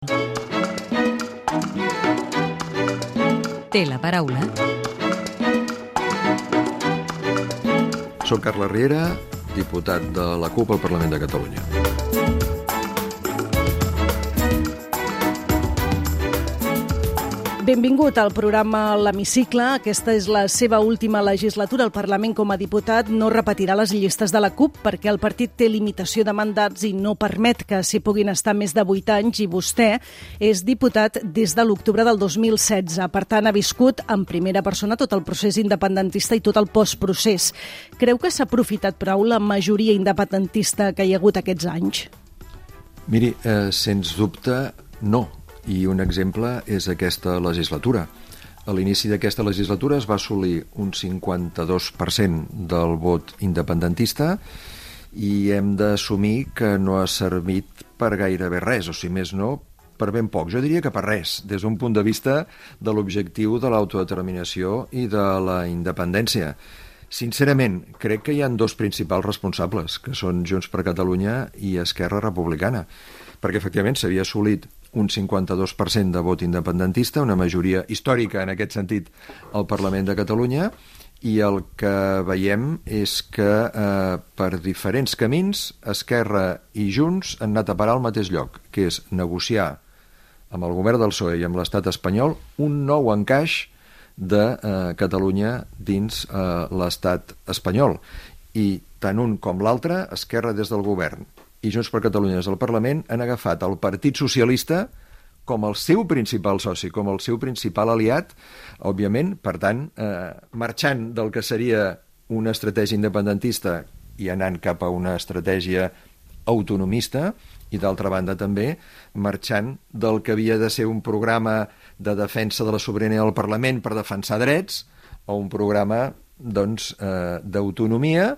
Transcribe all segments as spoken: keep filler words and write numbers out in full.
Té la paraula. Soc Carles Riera, diputat de la CUP al Parlament de Catalunya. Benvingut al programa L'Hemicicle. Aquesta és la seva última legislatura al Parlament com a diputat. No repetirà les llistes de la CUP perquè el partit té limitació de mandats i no permet que s'hi puguin estar més de vuit anys, i vostè és diputat des de l'octubre del dos mil setze. Per tant, ha viscut en primera persona tot el procés independentista i tot el postprocés. Creu que s'ha aprofitat prou la majoria independentista que hi ha hagut aquests anys? Miri, eh, sens dubte, no. I un exemple és aquesta legislatura. A l'inici d'aquesta legislatura es va assolir un cinquanta-dos per cent del vot independentista i hem d'assumir que no ha servit per gairebé res, o si més no, per ben poc. Jo diria que per res, des d'un punt de vista de l'objectiu de l'autodeterminació i de la independència. Sincerament, crec que hi ha dos principals responsables, que són Junts per Catalunya i Esquerra Republicana, perquè efectivament s'havia assolit un cinquanta-dos per cent de vot independentista, una majoria històrica en aquest sentit al Parlament de Catalunya, i el que veiem és que eh, per diferents camins Esquerra i Junts han anat a parar al mateix lloc, que és negociar amb el govern del P S O E i amb l'estat espanyol un nou encaix de eh, Catalunya dins eh, l'estat espanyol. I tant un com l'altre, Esquerra des del govern i Junts per Catalunya des del Parlament, han agafat el Partit Socialista com el seu principal soci, com el seu principal aliat, òbviament, per tant, eh, marxant del que seria una estratègia independentista i anant cap a una estratègia autonomista, i d'altra banda també marxant del que havia de ser un programa de defensa de la sobirania del Parlament per defensar drets a un programa doncs, eh, d'autonomia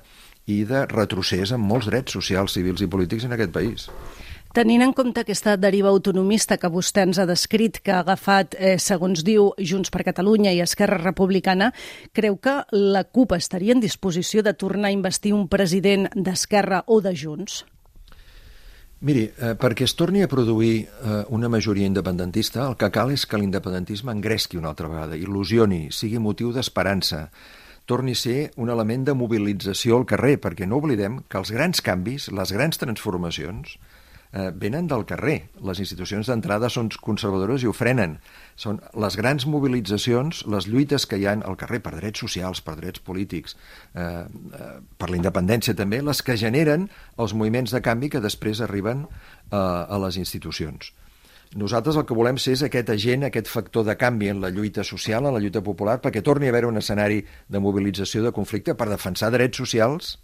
i de retrocés en molts drets socials, civils i polítics en aquest país. Tenint en compte aquesta deriva autonomista que vostè ens ha descrit, que ha agafat, eh, segons diu, Junts per Catalunya i Esquerra Republicana, creu que la CUP estaria en disposició de tornar a investir un president d'Esquerra o de Junts? Miri, eh, perquè es torni a produir eh, una majoria independentista, el que cal és que l'independentisme engresqui una altra vegada, il·lusioni, sigui motiu d'esperança, torni a ser un element de mobilització al carrer, perquè no oblidem que els grans canvis, les grans transformacions, eh, venen del carrer. Les institucions d'entrada són conservadores i ho frenen. Són les grans mobilitzacions, les lluites que hi ha al carrer per drets socials, per drets polítics, eh, eh, per la independència també, les que generen els moviments de canvi que després arriben eh, a les institucions. Nosaltres el que volem ser és aquest agent, aquest factor de canvi en la lluita social, en la lluita popular, perquè torni a haver un escenari de mobilització, de conflicte, per defensar drets socials,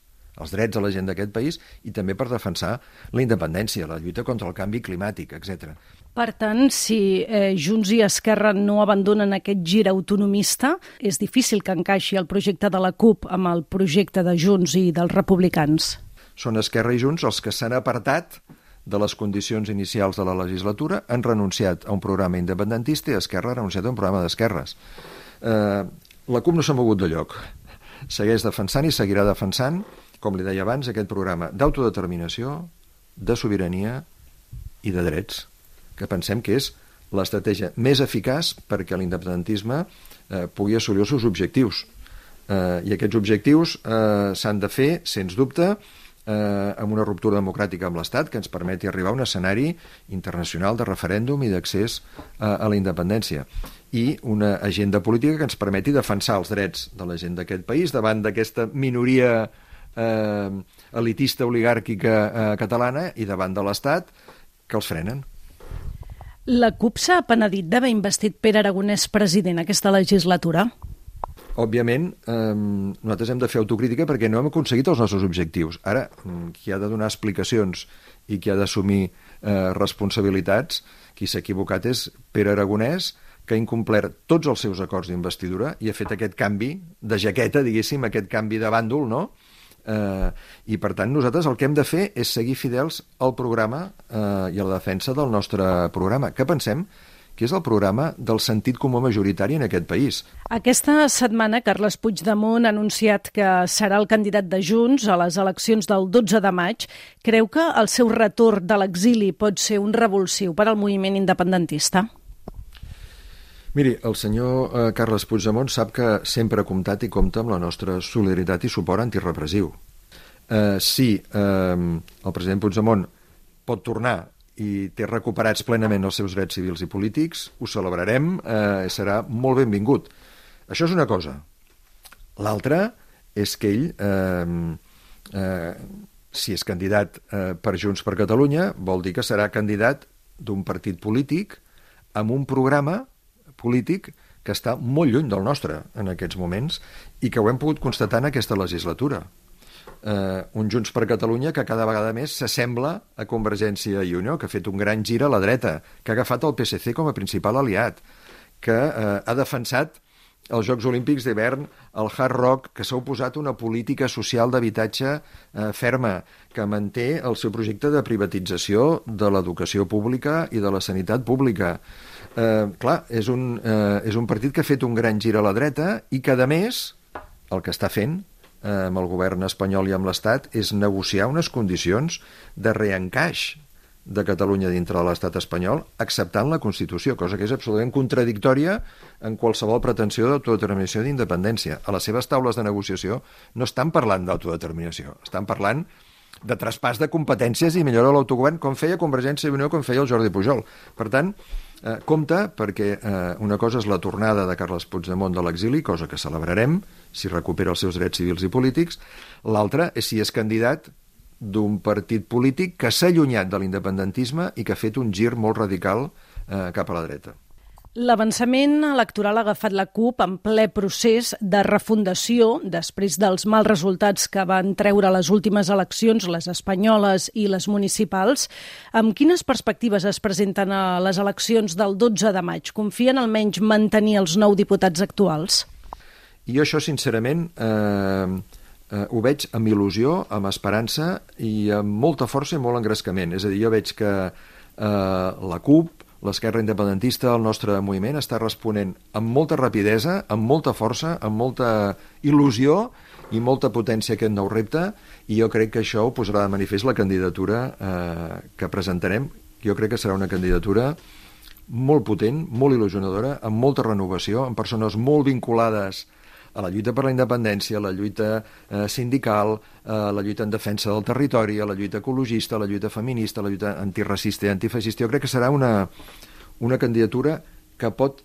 els drets de la gent d'aquest país, i també per defensar la independència, la lluita contra el canvi climàtic, etcètera. Per tant, si eh, Junts i Esquerra no abandonen aquest gir autonomista, és difícil que encaixi el projecte de la CUP amb el projecte de Junts i dels republicans. Són Esquerra i Junts els que s'han apartat de les condicions inicials de la legislatura, han renunciat a un programa independentista i Esquerra ha renunciat a un programa d'esquerres. Eh, la CUP no s'ha mogut de lloc. Segueix defensant i seguirà defensant, com li deia abans, aquest programa d'autodeterminació, de sobirania i de drets, que pensem que és l'estratègia més eficaç perquè l'independentisme eh, pugui assolir els seus objectius. Eh, I aquests objectius eh, s'han de fer, sens dubte, Eh, amb una ruptura democràtica amb l'Estat que ens permeti arribar a un escenari internacional de referèndum i d'accés a, a la independència, i una agenda política que ens permeti defensar els drets de la gent d'aquest país davant d'aquesta minoria eh, elitista oligàrquica eh, catalana i davant de l'Estat que els frenen. La CUP s'ha penedit d'haver investit Pere Aragonès president aquesta legislatura? Òbviament, eh, nosaltres hem de fer autocrítica perquè no hem aconseguit els nostres objectius. Ara, qui ha de donar explicacions i qui ha d'assumir eh, responsabilitats, qui s'ha equivocat és Pere Aragonès, que ha incomplert tots els seus acords d'investidura i ha fet aquest canvi de jaqueta, diguéssim, aquest canvi de bàndol, no? Eh, I, per tant, nosaltres el que hem de fer és seguir fidels al programa eh, i a la defensa del nostre programa, que pensem que és el programa del sentit comú majoritari en aquest país. Aquesta setmana, Carles Puigdemont ha anunciat que serà el candidat de Junts a les eleccions del dotze de maig. Creu que el seu retorn de l'exili pot ser un revulsiu per al moviment independentista? Miri, el senyor eh, Carles Puigdemont sap que sempre ha comptat i compta amb la nostra solidaritat i suport antirepressiu. Eh, si eh, el president Puigdemont pot tornar i té recuperats plenament els seus drets civils i polítics, ho celebrarem, eh, serà molt benvingut. Això és una cosa. L'altra és que ell, eh, eh, si és candidat eh, per Junts per Catalunya, vol dir que serà candidat d'un partit polític amb un programa polític que està molt lluny del nostre en aquests moments i que ho hem pogut constatar en aquesta legislatura. Uh, un Junts per Catalunya que cada vegada més s'assembla a Convergència i Unió, que ha fet un gran gir a la dreta, que ha agafat el P S C com a principal aliat, que uh, ha defensat els Jocs Olímpics d'hivern, el Hard Rock, que s'ha oposat a una política social d'habitatge eh, ferma, que manté el seu projecte de privatització de l'educació pública i de la sanitat pública. Eh, clar, és un, eh, és un partit que ha fet un gran gir a la dreta i que, a més, el que està fent eh, amb el govern espanyol i amb l'Estat és negociar unes condicions de reencaix de Catalunya dintre de l'estat espanyol, acceptant la Constitució, cosa que és absolutament contradictòria en qualsevol pretensió d'autodeterminació i d'independència. A les seves taules de negociació no estan parlant d'autodeterminació, estan parlant de traspàs de competències i millora de l'autogovern, com feia Convergència i Unió, com feia el Jordi Pujol. Per tant, eh, compte, perquè eh, una cosa és la tornada de Carles Puigdemont de l'exili, cosa que celebrarem, si recupera els seus drets civils i polítics. L'altra és si és candidat d'un partit polític que s'ha allunyat de l'independentisme i que ha fet un gir molt radical eh, cap a la dreta. L'avançament electoral ha agafat la CUP en ple procés de refundació després dels mals resultats que van treure les últimes eleccions, les espanyoles i les municipals. Amb quines perspectives es presenten a les eleccions del dotze de maig? Confien almenys mantenir els nou diputats actuals? I jo això, sincerament, eh, eh, ho veig amb il·lusió, amb esperança i amb molta força i molt engrescament. És a dir, jo veig que eh, la CUP, l'esquerra independentista, el nostre moviment, està responent amb molta rapidesa, amb molta força, amb molta il·lusió i molta potència a aquest nou repte, i jo crec que això ho posarà de manifest la candidatura eh, que presentarem. Jo crec que serà una candidatura molt potent, molt il·lusionadora, amb molta renovació, amb persones molt vinculades a la lluita per la independència, a la lluita eh, sindical, a la lluita en defensa del territori, a la lluita ecologista, a la lluita feminista, a la lluita antiracista i antifeixista. Jo crec que serà una, una candidatura que pot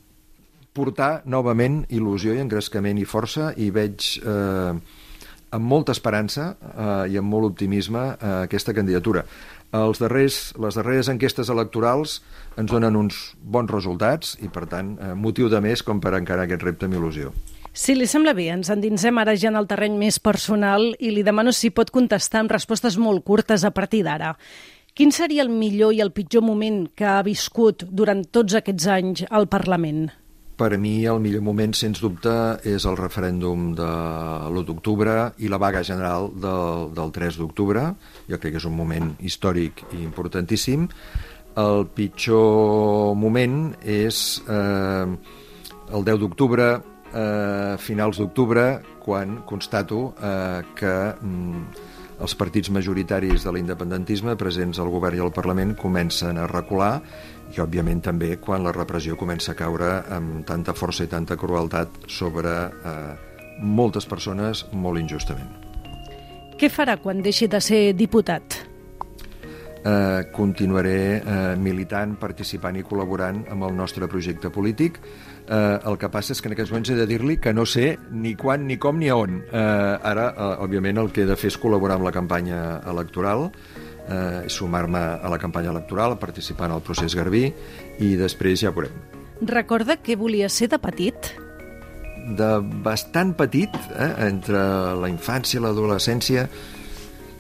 portar novament il·lusió i engrescament i força, i veig eh, amb molta esperança eh, i amb molt optimisme eh, aquesta candidatura. Els darrers, les darreres enquestes electorals ens donen uns bons resultats i, per tant, eh, motiu de més com per encarar aquest repte amb il·lusió. Si li sembla bé, ens endinsem ara ja en el terreny més personal i li demano si pot contestar amb respostes molt curtes a partir d'ara. Quin seria el millor i el pitjor moment que ha viscut durant tots aquests anys al Parlament? Per mi el millor moment, sens dubte, és el referèndum de l'u d'octubre i la vaga general del, del tres d'octubre. Jo crec que és un moment històric i importantíssim. El pitjor moment és eh, el deu d'octubre, a finals d'octubre, quan constato eh, que mm, els partits majoritaris de l'independentisme presents al govern i al Parlament comencen a recular, i òbviament també quan la repressió comença a caure amb tanta força i tanta crueltat sobre eh, moltes persones molt injustament. Què farà quan deixi de ser diputat? Eh, continuaré eh, militant, participant i col·laborant amb el nostre projecte polític. Eh, el que passa és que en aquests moments he de dir-li que no sé ni quan, ni com, ni a on. Eh, ara, eh, òbviament, el que he de fer és col·laborar amb la campanya electoral, eh, sumar-me a la campanya electoral, participar en el procés Garbí, i després ja veurem. Recorda què volia ser de petit? De bastant petit, eh, entre la infància i l'adolescència,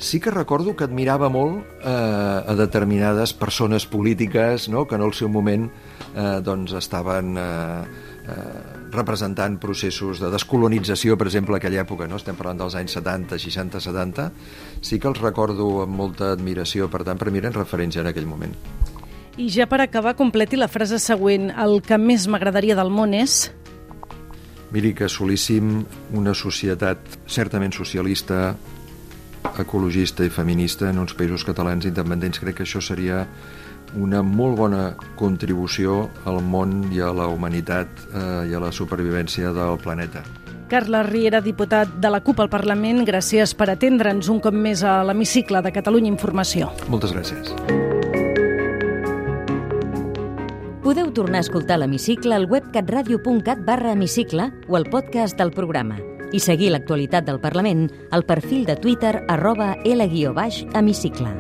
sí que recordo que admirava molt eh, a determinades persones polítiques, no?, que en el seu moment eh, doncs estaven eh, eh, representant processos de descolonització, per exemple, a aquella època, no? Estem parlant dels anys setanta, seixanta, setanta, sí que els recordo amb molta admiració, per tant, per mi eren referents en aquell moment. I ja per acabar, completi la frase següent. El que més m'agradaria del món és... Miri, que assolíssim una societat certament socialista, ecologista i feminista en uns països catalans independents. Crec que això seria una molt bona contribució al món i a la humanitat eh, i a la supervivència del planeta. Carles Riera, diputat de la CUP al Parlament, gràcies per atendre'ns un cop més a l'Hemicicle de Catalunya Informació. Moltes gràcies. Podeu tornar a escoltar l'Hemicicle al web catradio punt cat barra hemicicle o al podcast del programa i seguir l'actualitat del Parlament al perfil de Twitter arroba L guió baix hemicicle.